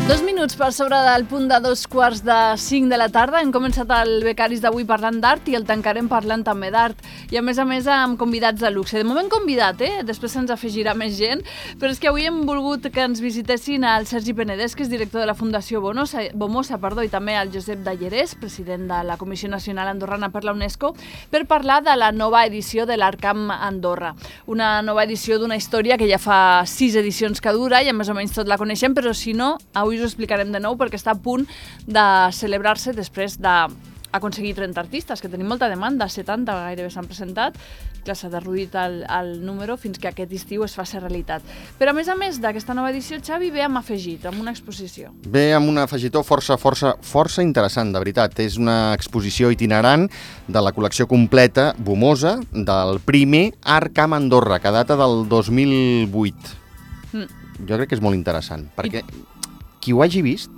2 minuts per sobre del punt de 2:45 de la tarda. Hem començat el Becaris d'avui parlant d'art i el tancarem parlant també d'art. I a més amb convidats de luxe. De moment convidat, després se'ns afegirà més gent, però és que avui hem volgut que ens visitessin el Sergi Penedès, que és director de la Fundació Bomosa, i també el Josep Dallerès, president de la Comissió Nacional Andorrana per la UNESCO, per parlar de la nova edició de l'Arcam Andorra. Una nova edició d'una història que ja fa 6 edicions que dura i més o menys tot la coneixem, però si no, avui us ho explicarem de nou perquè està a punt de celebrar-se després d'aconseguir 30 artistes, que tenim molta demanda, 70 gairebé s'han presentat, que s'ha derruït el número fins que aquest estiu es faci realitat. Però a més d'aquesta nova edició, Xavi ve amb afegit, amb una exposició. Ve amb un afegitó força interessant, de veritat. És una exposició itinerant de la col·lecció completa Bomosa del primer Arcam Andorra, que data del 2008. Jo crec que és molt interessant, perquè qui ho hagi vist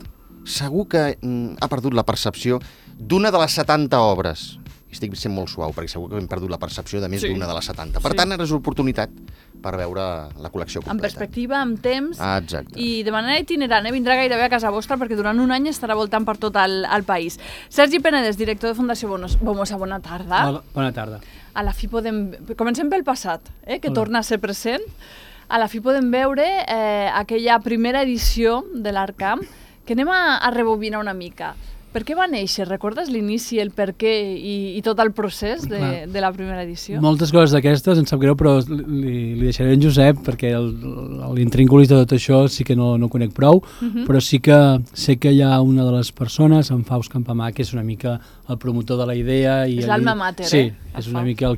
segur que ha perdut la percepció d'una de les 70 obres. Estic sent molt suau, perquè segur que hem perdut la percepció de més d'una de les 70. Per tant, ara és oportunitat per veure la col·lecció completa. Amb perspectiva, amb temps, exacte. I de manera itinerant, vindrà gairebé a casa vostra perquè durant un any estarà voltant per tot el país. Sergi Penedès, director de Fundació Bomosa, bona tarda. Hola, bona tarda. A la fi comencem pel passat, que torna a ser present. A la fi podem veure aquella primera edició de l'Arcam, que anem a rebobinar una mica. Per què va néixer? Recordes l'inici, el per què i tot el procés de la primera edició? Moltes coses d'aquestes, em sap greu, però li deixaré en Josep, perquè l'intríngulis de tot això sí que no conec prou, però sí que sé que hi ha una de les persones, en Faust Campamà, que és una mica el promotor de la idea. És l'alma mater, Sí, és una mica el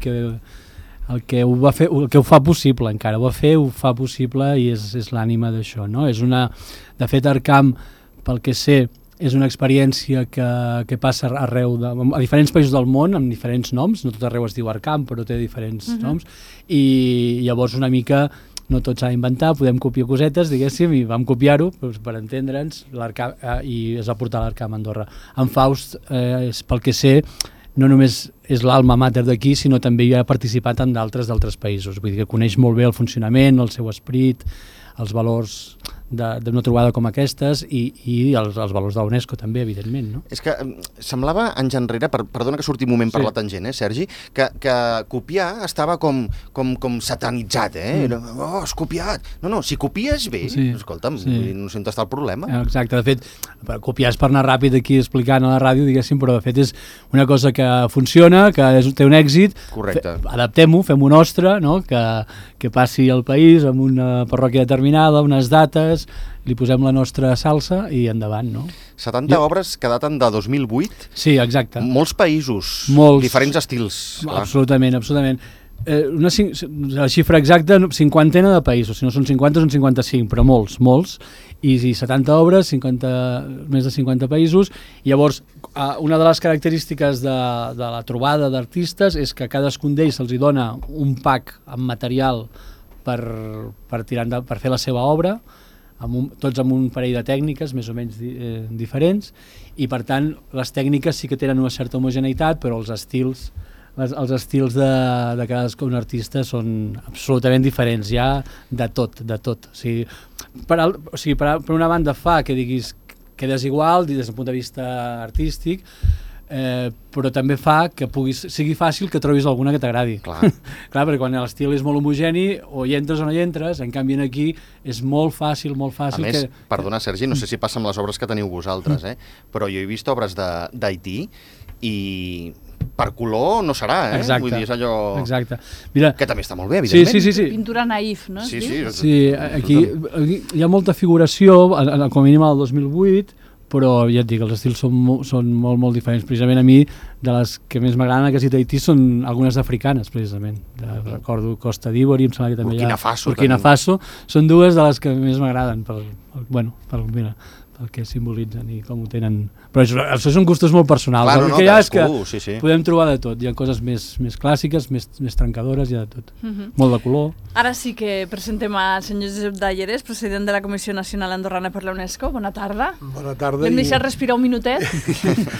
que ho va fer, el que ho fa possible encara, ho fa possible i és l'ànima d'això, no? De fet, Arcam, pel que sé, és una experiència que passa arreu, a diferents països del món, amb diferents noms, no tot arreu es diu Arcam, però té diferents noms, i llavors una mica no tot s'ha d'inventar, podem copiar cosetes, diguéssim, i vam copiar-ho per entendre'ns, i es va portar l'Arcam a Andorra. En Faust, pel que sé, no només és l'alma mater d'aquí, sinó també hi ha participat en d'altres països. Vull dir que coneix molt bé el funcionament, el seu esperit, els valors d'una trobada com aquestes i els valors de la UNESCO també, evidentment, no? És que semblava anys enrere, perdona que surti un moment per la tangent, Sergi, que copiar estava com satanitzat, has copiat. No, si copies bé, escolta'm, no sé on està el problema. Exacte, de fet, copiar és per anar ràpid aquí explicant a la ràdio, diguéssim, però de fet és una cosa que funciona, que té un èxit. Correcte. Adaptem-ho, fem-ho nostre, no? Que passi al país amb una parròquia determinada, unes dates, li posem la nostra salsa i endavant, no? 70 obres que daten de 2008. Sí, exacte. Molts països, diferents estils. Absolutament. La xifra exacta, 50 de països, si no són 50 són 55, però molts, i 70 obres, més de 50 països, i llavors una de les característiques de la trobada d'artistes és que a cadascun d'ells se'ls dona un pack amb material per fer la seva obra, tots amb un parell de tècniques més o menys diferents, i per tant les tècniques sí que tenen una certa homogeneïtat, però els estils de cadascun artista són absolutament diferents, ja de tot. O sigui, per una banda fa que diguis que és igual des del punt de vista artístic, però també fa que sigui fàcil que trobis alguna que t'agradi. Clar, perquè quan l'estil és molt homogeni, o hi entres o no hi entres, en canvi aquí és molt fàcil. A més, perdona Sergi, no sé si passa amb les obres que teniu vosaltres, però jo he vist obres d'Haití i per color no serà, Exacte. Vull dir, és allò Exacte. Mira, que també està molt bé, evidentment. Sí. Pintura naïf, no? Sí, aquí hi ha molta figuració, com a mínim al 2008, però ja et dic, els estils són molt diferents. Precisament a mi, de les que més m'agraden que Tahití són algunes africanes, precisament. Recordo Costa d'Ivori, em sembla que també Burkina Faso. Són dues de les que més m'agraden, pel que simbolitzen i com ho tenen. Però això són gustos molt personals. Clar, el que hi ha és que podem trobar de tot. Hi ha coses més clàssiques, més trencadores, hi ha de tot. Molt de color. Ara sí que presentem al senyor Josep Dallerès, president de la Comissió Nacional Andorrana per la UNESCO. Bona tarda. Bona tarda. L'hem deixat respirar un minutet.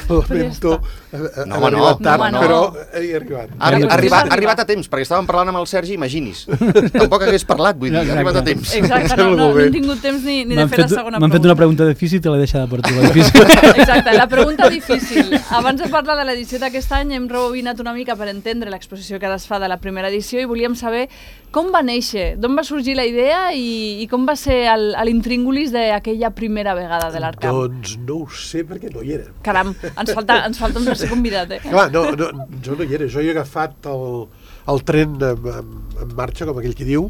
Lamento haver arribat tard, però he arribat. Ha arribat a temps, perquè estàvem parlant amb el Sergi, imaginis. Tampoc hagués parlat, vull dir, ha arribat a temps. Exacte, no hem tingut temps ni de fer la segona pregunta. M'han fet una pregunta difícil i te l'he deixada per tu, la difícil. Exacte, la pregunta difícil. Abans de parlar de l'edició d'aquest any hem rebobinat una mica per entendre l'exposició que ara es fa de la primera edició i volíem saber com va néixer, d'on va sorgir la idea i com va ser l'intríngulis d'aquella primera vegada de l'Arcam. Doncs no ho sé perquè no hi era. Caram, ens falta un tercer convidat, Clar, jo no hi era. Jo he agafat el tren en marxa, com aquell que diu.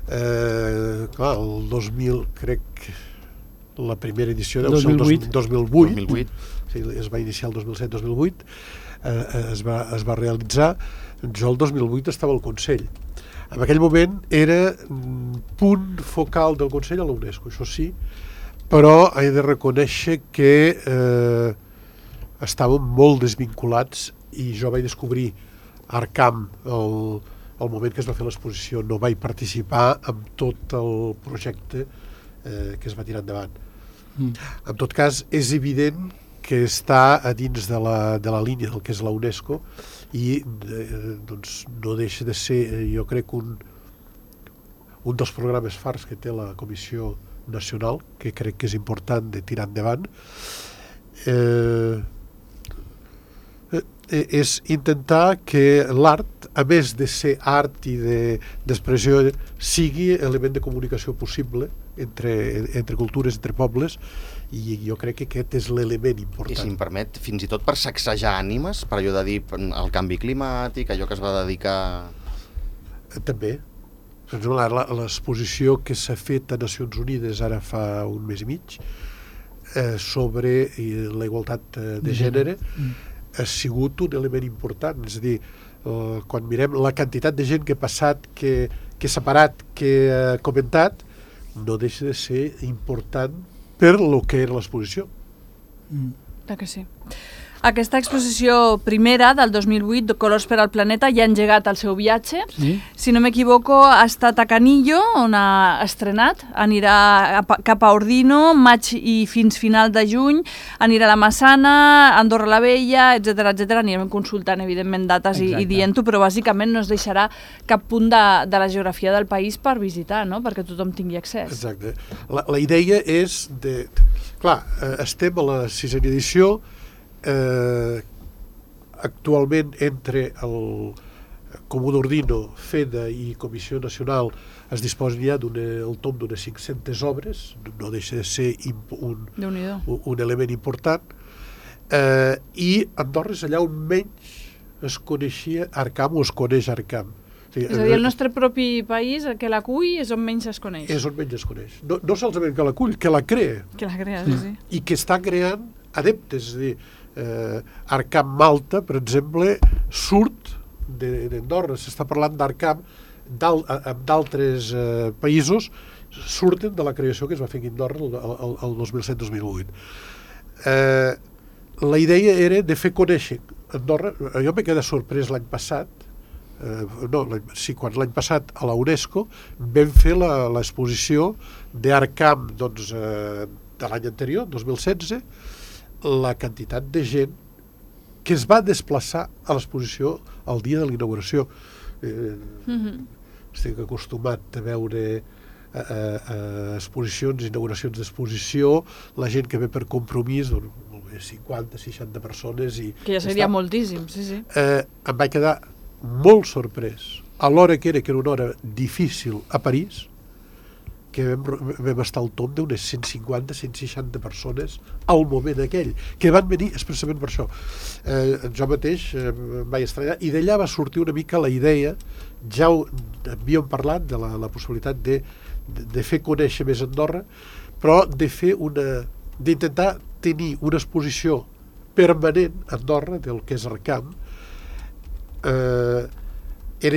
Clar, el 2000, crec, la primera edició deu ser el 2008. Sí, es va iniciar el 2007-2008, es va realitzar. Jo el 2008 estava al Consell. En aquell moment era punt focal del Consell a la UNESCO, això sí, però he de reconèixer que estàvem molt desvinculats i jo vaig descobrir Arcam el moment que es va fer l'exposició. No vaig participar en tot el projecte que es va tirar endavant. En tot cas, és evident que està a dins de la línia del que és la UNESCO i doncs no deixa de ser, jo crec, un dels programes farts que té la Comissió Nacional, que crec que és important de tirar endavant, és intentar que l'art, a més de ser art i d'expressió, sigui element de comunicació possible entre cultures, entre pobles, i jo crec que aquest és l'element important. I si em permet, fins i tot per sacsejar ànimes, per allò de dir el canvi climàtic, allò que es va dedicar... També. Per exemple, l'exposició que s'ha fet a Nacions Unides ara fa un mes i mig sobre la igualtat de gènere ha sigut un element important. És a dir, quan mirem la quantitat de gent que ha passat, que s'ha parat, que ha comentat, no deixa de ser important per lo que era l'exposició. Clar que sí. Aquesta exposició primera del 2008, de Colors per al Planeta, ja ha engegat el seu viatge. Sí. Si no m'equivoco, ha estat a Canillo, on ha estrenat. Anirà cap a Ordino, maig i fins final de juny. Anirà a la Massana, Andorra la Vella, etc etc. Anirem consultant, evidentment, dates i dient-ho, però bàsicament no es deixarà cap punt de la geografia del país per visitar, no? Perquè tothom tingui accés. Exacte. La idea és de... Clar, estem a la 6a edició. Actualment entre el Comú d'Ordino, FEDA i Comissió Nacional es disposen ja el tom d'unes 500 obres, no deixa de ser un element important, i Andorra és allà on menys es coneixia Arcam o es coneix Arcam. És a dir, el nostre propi país, que l'acull, és on menys es coneix. És on menys es coneix. No solament que l'acull, que la crea. Que la crea, sí. I que està creant adeptes, és a dir, Arcam Malta, per exemple, surt d'Andorra. S'està parlant d'Arcam amb d'altres països, surten de la creació que es va fer aquí a Andorra el 2007-2008. La idea era de fer conèixer Andorra. Jo m'he quedat sorprès l'any passat, quan l'any passat a la UNESCO vam fer l'exposició d'Arcam de l'any anterior, 2016, la quantitat de gent que es va desplaçar a l'exposició el dia de la inauguració. Estic acostumat a veure exposicions, inauguracions d'exposició, la gent que ve per compromís, 50-60 persones. Que ja seria moltíssim, sí. Em vaig quedar molt sorprès a l'hora que era una hora difícil a París, que vam estar al tom d'unes 150-160 persones al moment aquell, que van venir expressament per això. Jo mateix em vaig estranyar, i d'allà va sortir una mica la idea, ja havíem parlat de la possibilitat de fer conèixer més Andorra, però d'intentar tenir una exposició permanent a Andorra del que és Arcam. És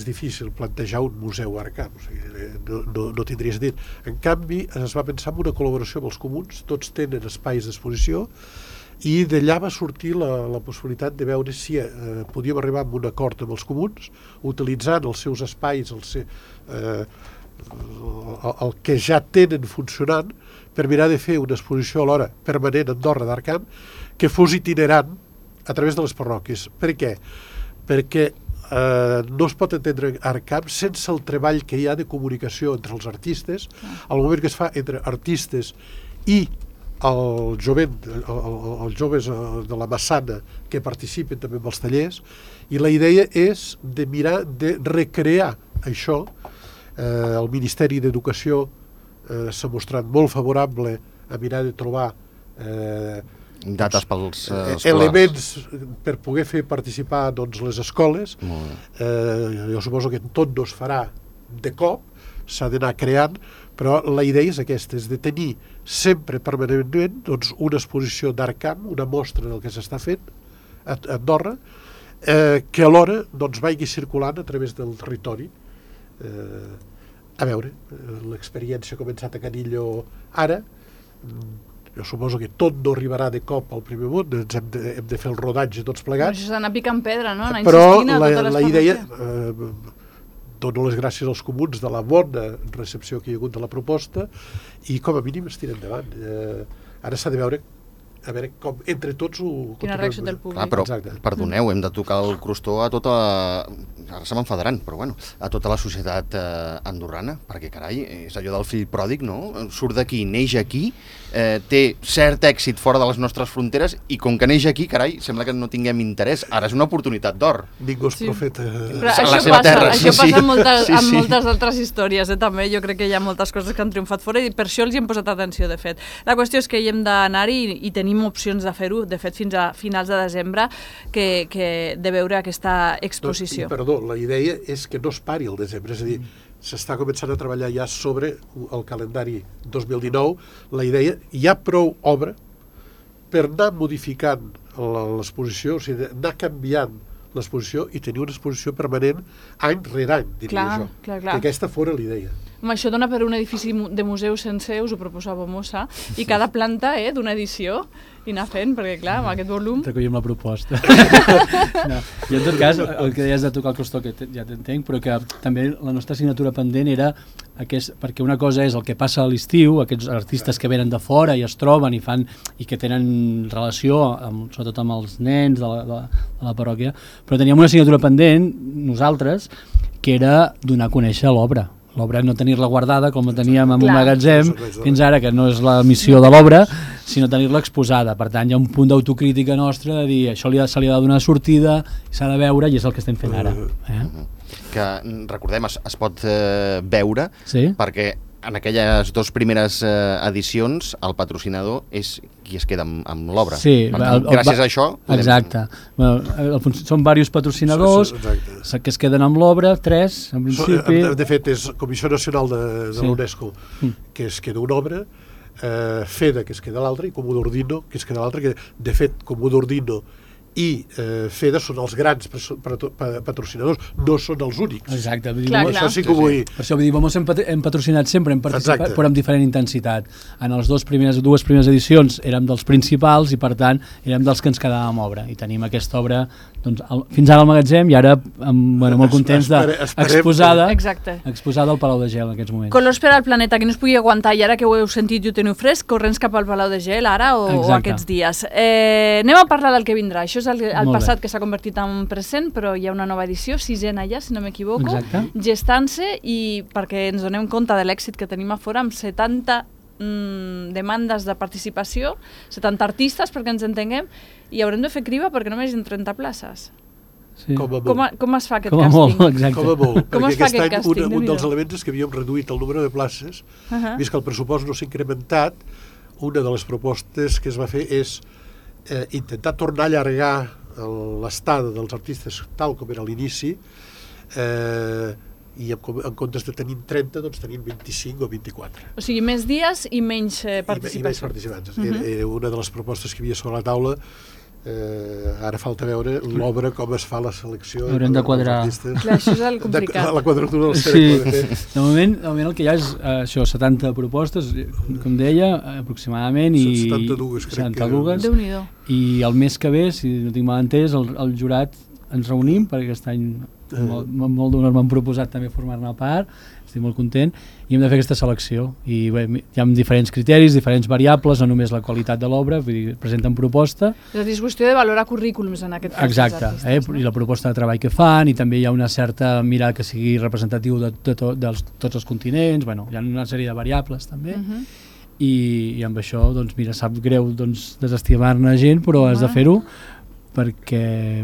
difícil plantejar un museu a Arcam, o sigui, no tindria sentit. En canvi, es va pensar en una col·laboració amb els comuns, tots tenen espais d'exposició, i d'allà va sortir la possibilitat de veure si podíem arribar a un acord amb els comuns, utilitzant els seus espais, el que ja tenen funcionant, per mirar de fer una exposició alhora permanent a Andorra d'Arcam, que fos itinerant a través de les parròquies. Per què? Perquè no es pot entendre ArtCamp sense el treball que hi ha de comunicació entre els artistes, al moment que es fa entre artistes i el jovent, els joves de la Massana que participen també en els tallers, i la idea és de mirar de recrear això. El Ministeri d'Educació s'ha mostrat molt favorable a mirar de trobar dates pels escolars. Elements per poder fer participar les escoles. Jo suposo que tot no es farà de cop, s'ha d'anar creant, però la idea és aquesta, és de tenir sempre permanentment una exposició d'ArtCamp, una mostra del que s'està fent a Andorra, que alhora vagi circulant a través del territori. A veure, l'experiència ha començat a Canillo ara, jo suposo que tot no arribarà de cop al primer món, hem de fer el rodatge tots plegats. Això és anar picant pedra, no? Anar però insistint a totes les la idea, dono les gràcies als comuns de la bona recepció que hi ha hagut de la proposta i com a mínim es tira endavant. Ara s'ha de veure com entre tots ho... Quina reacció del públic. Però, perdoneu, hem de tocar el crostó a tota... Ara se m'enfadaran, però bueno, a tota la societat andorrana, perquè, carai, és allò del fill pròdig, no? Surt d'aquí, neix aquí, té cert èxit fora de les nostres fronteres i com que neix aquí, carai, sembla que no tinguem interès. Ara és una oportunitat d'or. Ningú és profeta. Però això passa en moltes altres històries, també. Jo crec que hi ha moltes coses que han triomfat fora i per això els hi hem posat atenció, de fet. La qüestió és que hi hem d'anar-hi i tenim opcions de fer-ho, de fet, fins a finals de desembre, de veure aquesta exposició. Perdó, la idea és que no es pari el desembre, és a dir, s'està començant a treballar ja sobre el calendari 2019. La idea, hi ha prou obra per anar modificant l'exposició, o sigui, anar canviant l'exposició i tenir una exposició permanent any rere any, diria jo. Clar. Que aquesta fora l'idea. Això dona per un edifici de museu sencer, us ho proposava Mossa, i cada planta d'una edició, i anar fent, perquè clar, amb aquest volum... Recollim la proposta. No. I en tot cas, el que deies de tocar el crostó, que ja t'entenc, però que també la nostra assignatura pendent era perquè una cosa és el que passa a l'estiu, aquests artistes que venen de fora i es troben i fan i que tenen relació, sobretot amb els nens de la parròquia, però teníem una assignatura pendent, nosaltres, que era donar a conèixer l'obra. L'obra no tenir-la guardada com la teníem en un magatzem fins ara, que no és la missió de l'obra, sinó tenir-la exposada. Per tant, hi ha un punt d'autocrítica nostra de dir això se li ha de donar sortida, s'ha de veure i és el que estem fent ara. Que, recordem, es pot veure perquè en aquelles dues primeres edicions el patrocinador és qui es queda amb l'obra. Sí, gràcies a això... Exacte. Són diversos patrocinadors que es queden amb l'obra, 3 en principi. De fet, és Comissió Nacional de l'UNESCO, que es queda una obra, FEDA, que es queda l'altra, i Comú d'Ordino, que es queda l'altra, que de fet Comú d'Ordino i FEDA són els grans patrocinadors, no són els únics. Exacte. Això sí que ho vull dir. Per això vull dir, Vamos hem patrocinat sempre, hem participat, però amb diferent intensitat. En les dues primeres edicions érem dels principals i per tant érem dels que ens quedàvem obra i tenim aquesta obra fins ara al magatzem i ara molt contents exposada al Palau de Gel en aquests moments. Colors per al planeta, que no es pugui aguantar i ara que ho heu sentit i ho teniu fresc, corrents cap al Palau de Gel ara o aquests dies. Anem a parlar del que vindrà. Això és el passat que s'ha convertit en present, però hi ha una nova edició, 6ena ja, si no m'equivoco, gestant-se, i perquè ens donem compte de l'èxit que tenim a fora amb 70 demandes de participació, 70 artistes perquè ens entenguem, i haurem de fer criba perquè només hi ha 30 places. Com es fa aquest càsting? Com a molt, perquè aquest any un dels elements és que havíem reduït el número de places, vist que el pressupost no s'ha incrementat. Una de les propostes que es va fer és intentar tornar a allargar l'estada dels artistes tal com era a l'inici, i en comptes de tenir 30, doncs tenim 25 o 24. O sigui, més dies i menys participació. I menys participants. Una de les propostes que hi havia sobre la taula, ara falta veure l'obra, com es fa la selecció. Haurem de quadrar. Clar, això és el complicat. La quadratura del cercle. De moment el que hi ha és això, 70 propostes, com deia, aproximadament. 72, crec que. Déu-n'hi-do. I el mes que ve, si no tinc mal entès, el jurat ens reunim, perquè aquest any molt d'honor m'han proposat també formar-ne part, estic molt content, i hem de fer aquesta selecció. I bé, hi ha diferents criteris, diferents variables, no només la qualitat de l'obra, vull dir, presenten proposta. És a dir, és qüestió de valorar currículums en aquest cas. Exacte, artistes, i la proposta de treball que fan, i també hi ha una certa mirada que sigui representatiu de tots els continents, bueno, hi ha una sèrie de variables també, i amb això, doncs mira, sap greu desestimar-ne gent, però has de fer-ho perquè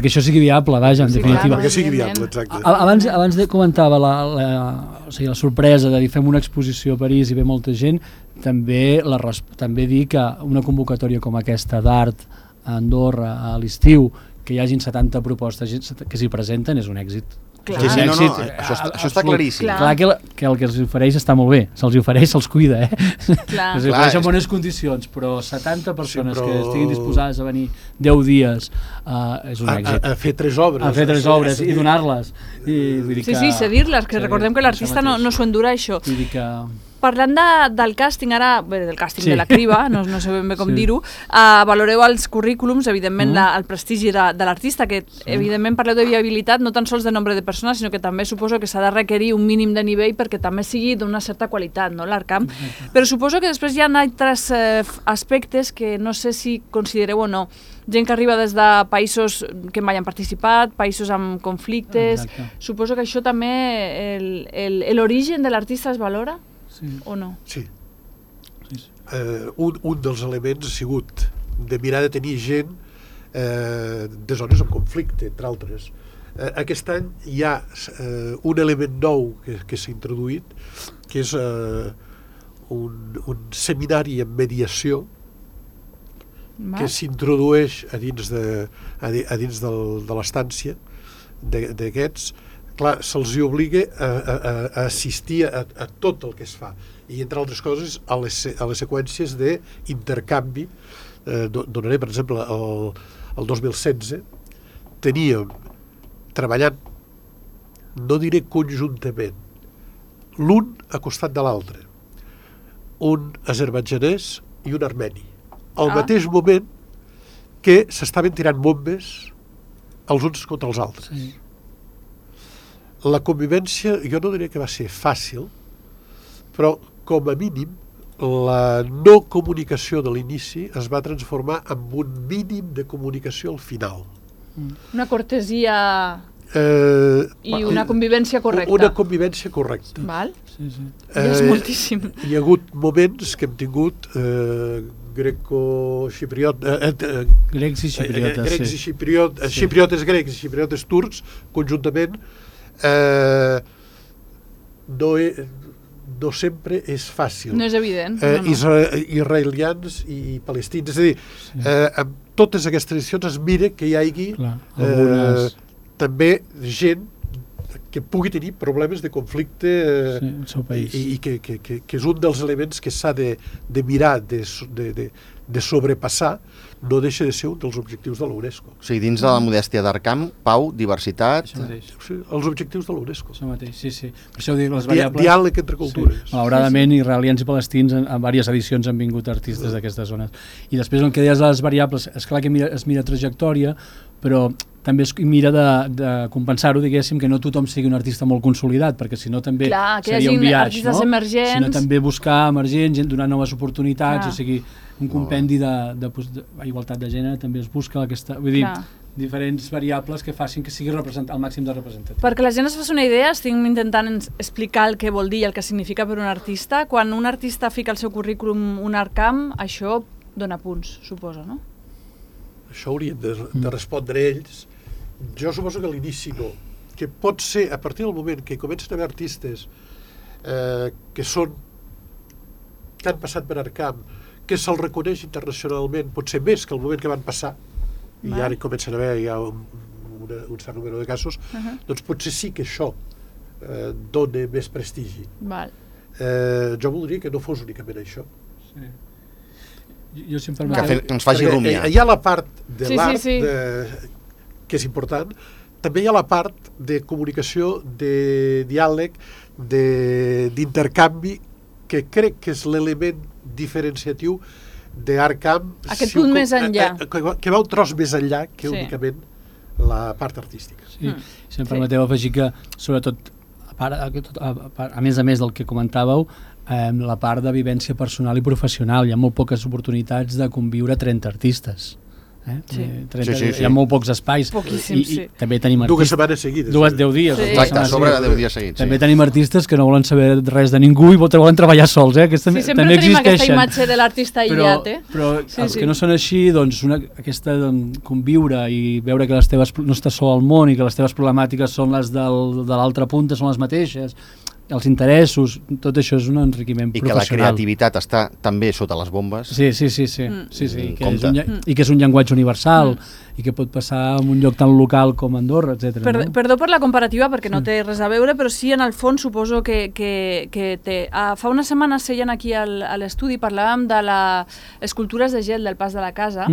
això sigui viable, vaja, en definitiva. Perquè sigui viable, exacte. Abans comentava la sorpresa de dir fem una exposició a París i ve molta gent, també dir que una convocatòria com aquesta d'art a Andorra a l'estiu, que hi hagin 70 propostes que s'hi presenten, és un èxit. Clar. Sí, això està claríssim. Clar que el que els ofereix està molt bé, se'ls ofereix, se'ls cuida, Clar. Els ofereix en bones condicions, però 70 persones que estiguin disposades a venir 10 dies és un èxit. A fer 3 obres. A fer 3 obres i donar-les. Sí, cedir-les, que recordem que l'artista no s'ho endura, això. Vull dir que... Parlant del càsting, de la criba, no sé ben bé com dir-ho, valoreu els currículums, evidentment el prestigi de l'artista, que evidentment parleu de viabilitat, no tan sols de nombre de persones, sinó que també suposo que s'ha de requerir un mínim de nivell perquè també sigui d'una certa qualitat, no, l'Arcam. Però suposo que després hi ha altres aspectes que no sé si considereu o no. Gent que arriba des de països que mai han participat, països amb conflictes. Suposo que això també, l'origen de l'artista es valora? O no? Sí. Un dels elements ha sigut de mirar de tenir gent de zones amb conflicte, entre altres. Aquest any hi ha un element nou que s'ha introduït, que és un seminari en mediació que s'introdueix a dins de l'estància d'aquests. Clar, se'ls obliga a assistir a tot el que es fa, i entre altres coses a les seqüències d'intercanvi. Donaré, per exemple, el 2016 teníem treballant, no diré conjuntament, l'un a costat de l'altre, un azerbaidjanès i un armeni, al mateix moment que s'estaven tirant bombes els uns contra els altres. La convivència, jo no diria que va ser fàcil, però com a mínim la no comunicació de l'inici es va transformar en un mínim de comunicació al final. Una cortesia i una convivència correcta. Una convivència correcta. Val? És moltíssim. Hi ha hagut moments que hem tingut grecs i xipriotes, xipriotes grecs i xipriotes turcs, conjuntament. No sempre és fàcil. No és evident. Israelians i palestins. És a dir, amb totes aquestes tradicions es mira que hi hagi també gent que pugui tenir problemes de conflicte al seu país. I que és un dels elements que s'ha de mirar de sobrepassar. No deixa de ser un dels objectius de l'UNESCO. O sigui, dins de la modèstia d'Arcam, pau, diversitat... Els objectius de l'UNESCO. Això mateix, sí. Per això ho dic, les variables... Diàleg entre cultures. Malauradament, israelians i palestins en diverses edicions han vingut artistes d'aquestes zones. I després, el que deies de les variables, és clar que es mira trajectòria, però també es mira de compensar-ho, diguéssim, que no tothom sigui un artista molt consolidat, perquè si no també seria un biaix, no? Sinó també buscar emergents, donar noves oportunitats, o sigui, un compendi d'igualtat de gènere també es busca aquesta, vull dir, diferents variables que facin que sigui el màxim de representatiu. Perquè la gent es faci una idea, estic intentant explicar el que vol dir i el que significa per un artista. Quan un artista fica al seu currículum un Arcam, això dona punts, suposo, no? Això haurien de respondre ells. Jo suposo que a l'inici no. Que pot ser, a partir del moment que comencen a haver artistes que han passat per Arcam, que se'l reconeix internacionalment, potser més que el moment que van passar, i ara comencen a haver ja un cert número de casos, doncs potser sí que això dona més prestigi. Jo voldria que no fos únicament això. Jo sempre que ens faci rumiar. Hi ha la part de l'art que és important, també hi ha la part de comunicació, de diàleg, d'intercanvi, que crec que és l'element diferenciatiu d'Arkham... Aquest punt més enllà. Que va un tros més enllà que únicament la part artística. Sí, si em permeteu afegir que, sobretot, a més del que comentàveu, la part de vivència personal i professional. Hi ha molt poques oportunitats de conviure 30 artistes. Hi ha molt pocs espais. Poquíssim, i també tenim artistes... 2 setmanes seguides. 10 dies. Exacte, a sobre de 10 dies seguits. També tenim artistes que no volen saber res de ningú i volen treballar sols. Sí, sempre tenim aquesta imatge de l'artista aïllat. Però els que no són així, doncs, aquesta conviure i veure que les teves no estàs sol al món i que les teves problemàtiques són les de l'altra punta, són les mateixes, els interessos, tot això és un enriquiment professional. I que la creativitat està també sota les bombes. Sí. I que és un llenguatge universal i que pot passar en un lloc tan local com Andorra, etc. Perdó per la comparativa, perquè no té res a veure, però sí, en el fons, suposo que té. Fa unes setmanes seien aquí a l'estudi, parlàvem de les escultures de gel del Pas de la Casa,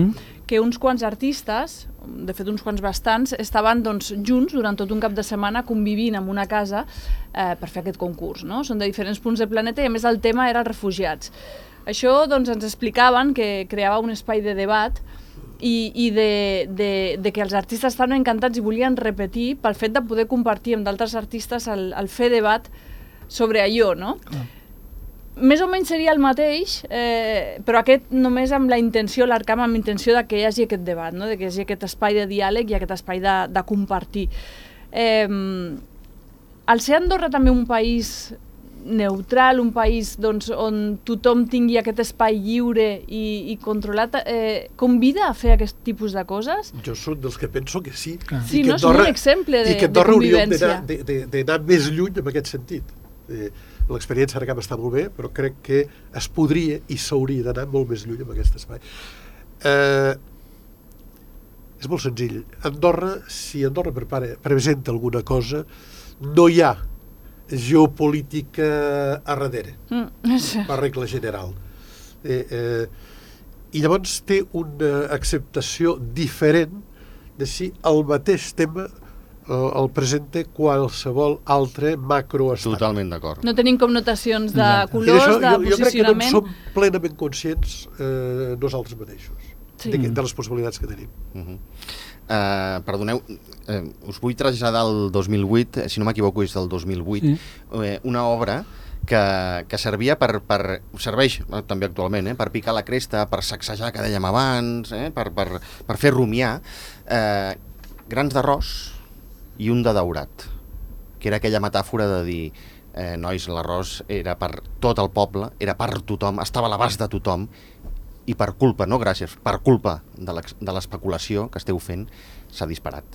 que uns quants artistes, de fet uns quants bastants, estaven junts durant tot un cap de setmana convivint en una casa per fer aquest concurs. Són de diferents punts del planeta i a més el tema era els refugiats. Això ens explicaven que creava un espai de debat i de que els artistes estaven encantats i volien repetir pel fet de poder compartir amb d'altres artistes el fer debat sobre allò, no? Més o menys seria el mateix, però aquest només amb la intenció, l'Arkham amb intenció de que hi hagi aquest debat, no? De que hi hagi aquest espai de diàleg i aquest espai de compartir. Al ser Andorra també un país neutral, un país on tothom tingui aquest espai lliure i controlat, convida a fer aquest tipus de coses? Jo soc dels que penso que sí. Sí, no? És un exemple de convivència. I que Andorra hauríem d'anar més lluny en aquest sentit. L'experiència Arkham està molt bé, però crec que es podria i s'hauria d'anar molt més lluny amb aquest espai. És molt senzill. Si Andorra presenta alguna cosa, no hi ha geopolítica a darrere, per regla general. I llavors té una acceptació diferent de si el mateix tema el presenta qualsevol altre macroestat. Totalment d'acord. No tenim connotacions de colors, de posicionament. Jo crec que no en som plenament conscients nosaltres mateixos de les possibilitats que tenim. Perdoneu, us vull traslladar el 2008, si no m'equivoco és del 2008, una obra que servia serveix també actualment, per picar la cresta, per sacsejar, que dèiem abans, per fer rumiar, grans d'arròs i un de daurat, que era aquella metàfora de dir, nois, l'arròs era per tot el poble, era per tothom, estava a l'abast de tothom, i per culpa, no gràcies, per culpa de l'especulació que esteu fent, s'ha disparat.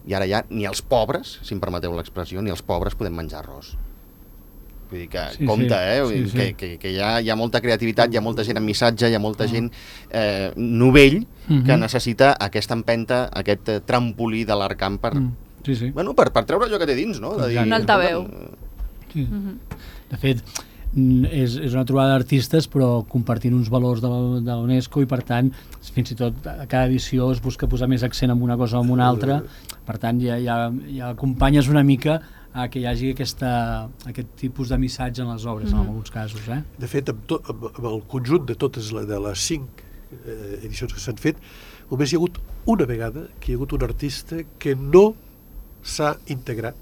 I ara ja ni els pobres, si em permeteu l'expressió, ni els pobres podem menjar arròs. Vull dir que, compte, que hi ha molta creativitat, hi ha molta gent amb missatge, hi ha molta gent novell que necessita aquesta empenta, aquest trampolí de l'Arkham per treure allò que té dins, no? Un altaveu. De fet, és una trobada d'artistes però compartint uns valors de la UNESCO i per tant fins i tot a cada edició es busca posar més accent en una cosa o en una altra, per tant ja acompanyes una mica a que hi hagi aquest tipus de missatge en les obres en alguns casos. De fet, amb el conjunt de totes de les 5 edicions que s'han fet, només hi ha hagut una vegada que hi ha hagut un artista que no s'ha integrat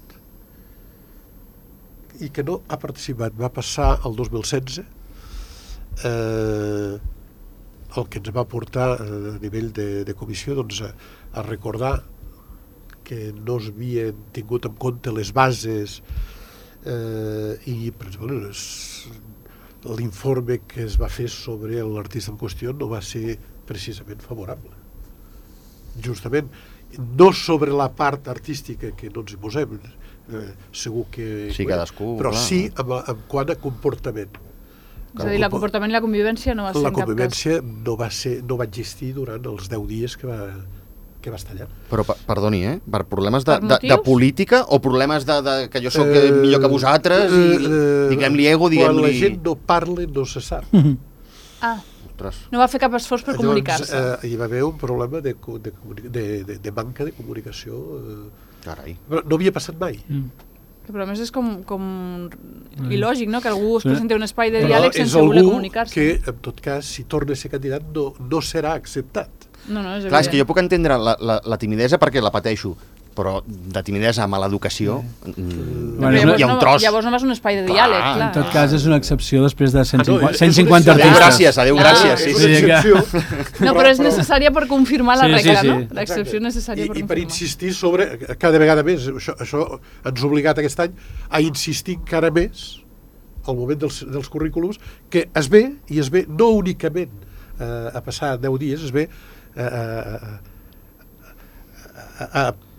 i que no ha participat. Va passar el 2016, el que ens va portar a nivell de comissió a recordar que no s'havien tingut en compte les bases i, per exemple, l'informe que es va fer sobre l'artista en qüestió no va ser precisament favorable. Justament, no sobre la part artística que no ens hi posem, segur que... Sí, cadascú, però sí en quant a comportament. És a dir, el comportament i la convivència no va ser en cap cas. La convivència no va existir durant els 10 dies que va estar allà. Però, perdoni, per problemes de política o problemes que jo sóc millor que vosaltres i diguem-li ego, diguem-li... Quan la gent no parla, no se sap. No va fer cap esforç per comunicar-se. Hi va haver un problema de manca de comunicació. Carai. Però no havia passat mai. Però a més és com il·lògic, no?, que algú es presenti un espai de Però diàleg és sense voler algú comunicar-se. que, en tot cas, si torna a ser candidat, no serà acceptat. No, és Clar, és que jo evident. puc entendre la timidesa perquè la pateixo, però de timidesa a mala educació Bueno, hi ha un tros. Llavors no vas a un espai de Clar, diàleg, en clar. En tot cas, és una excepció després de no, 150, és 150 una artistes. Adéu, Clar. gràcies, sí, És sí. una sí. excepció. No, però és necessària per confirmar la Sí, sí, regla, sí. no? L'excepció necessària per I per confirmar. insistir sobre, cada vegada més, això ens ha obligat aquest any a insistir encara més al moment dels currículums, que es ve no únicament a passar 10 dies, es ve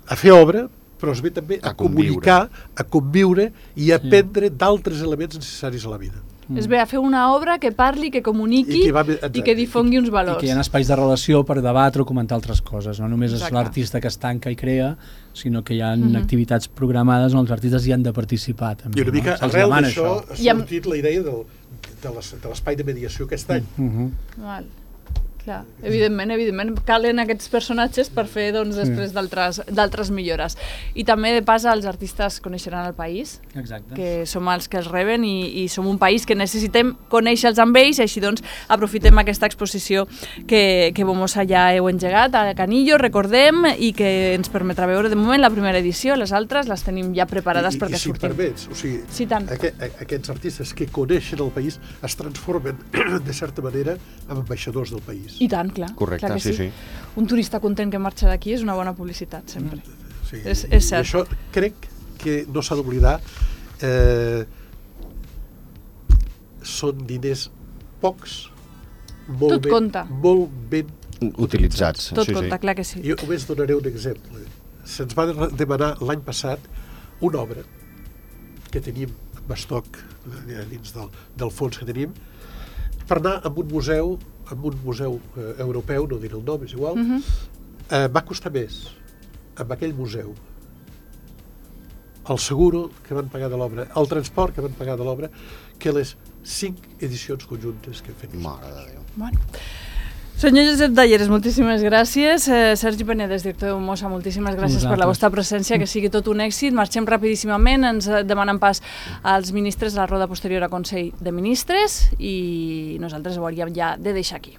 a fer obra, però es ve també a comunicar, a conviure i a aprendre d'altres elements necessaris a la vida. Es ve a fer una obra que parli, que comuniqui i que difongui uns I valors. que hi ha espais de relació per debatre o comentar altres coses. No només és Exacte. l'artista que es tanca i crea, sinó que hi ha activitats programades on els artistes hi han de participar. També, I una mica Se'ls arrel demana d'això això. ha sortit la idea de l'espai de mediació aquest any. Val. Clar, evidentment, calen aquests personatges per fer, doncs, després d'altres millores. I també, de pas, els artistes coneixeran el país, Exacte. que som els que els reben i som un país que necessitem conèixer-los amb ells, i així doncs aprofitem aquesta exposició que Bomosa ja heu engegat a Canillo, recordem, i que ens permetrà veure de moment la primera edició, les altres les tenim ja preparades perquè I si em surtin. permets, o sigui, Sí, tant. aquests artistes que coneixen el país es transformen, de certa manera, en ambaixadors del país. I tant, clar. Correcte, clar que sí. Un turista content que marxa d'aquí és una bona publicitat, sempre. Sí, És i cert. això crec que no s'ha d'oblidar. Són diners pocs, Tot compta. molt ben Utilitzats. Tot sí, compta, sí. clar que sí. Jo només donaré un exemple. Se'ns va demanar l'any passat una obra que tenim en estoc dins del fons que tenim per anar a un museu europeu, no diré el nom, és igual. Va costar més amb aquell museu el seguro que van pagar de l'obra, el transport que van pagar de l'obra, que les 5 edicions conjuntes que hem fet. Mare de Déu. Bueno. Senyor Josep Talleres, moltíssimes gràcies. Sergi Penedès, director de Bomosa, moltíssimes gràcies per la vostra presència, que sigui tot un èxit. Marxem rapidíssimament, ens demanen pas als ministres a la roda posterior a Consell de Ministres i nosaltres ho hauríem ja de deixar aquí.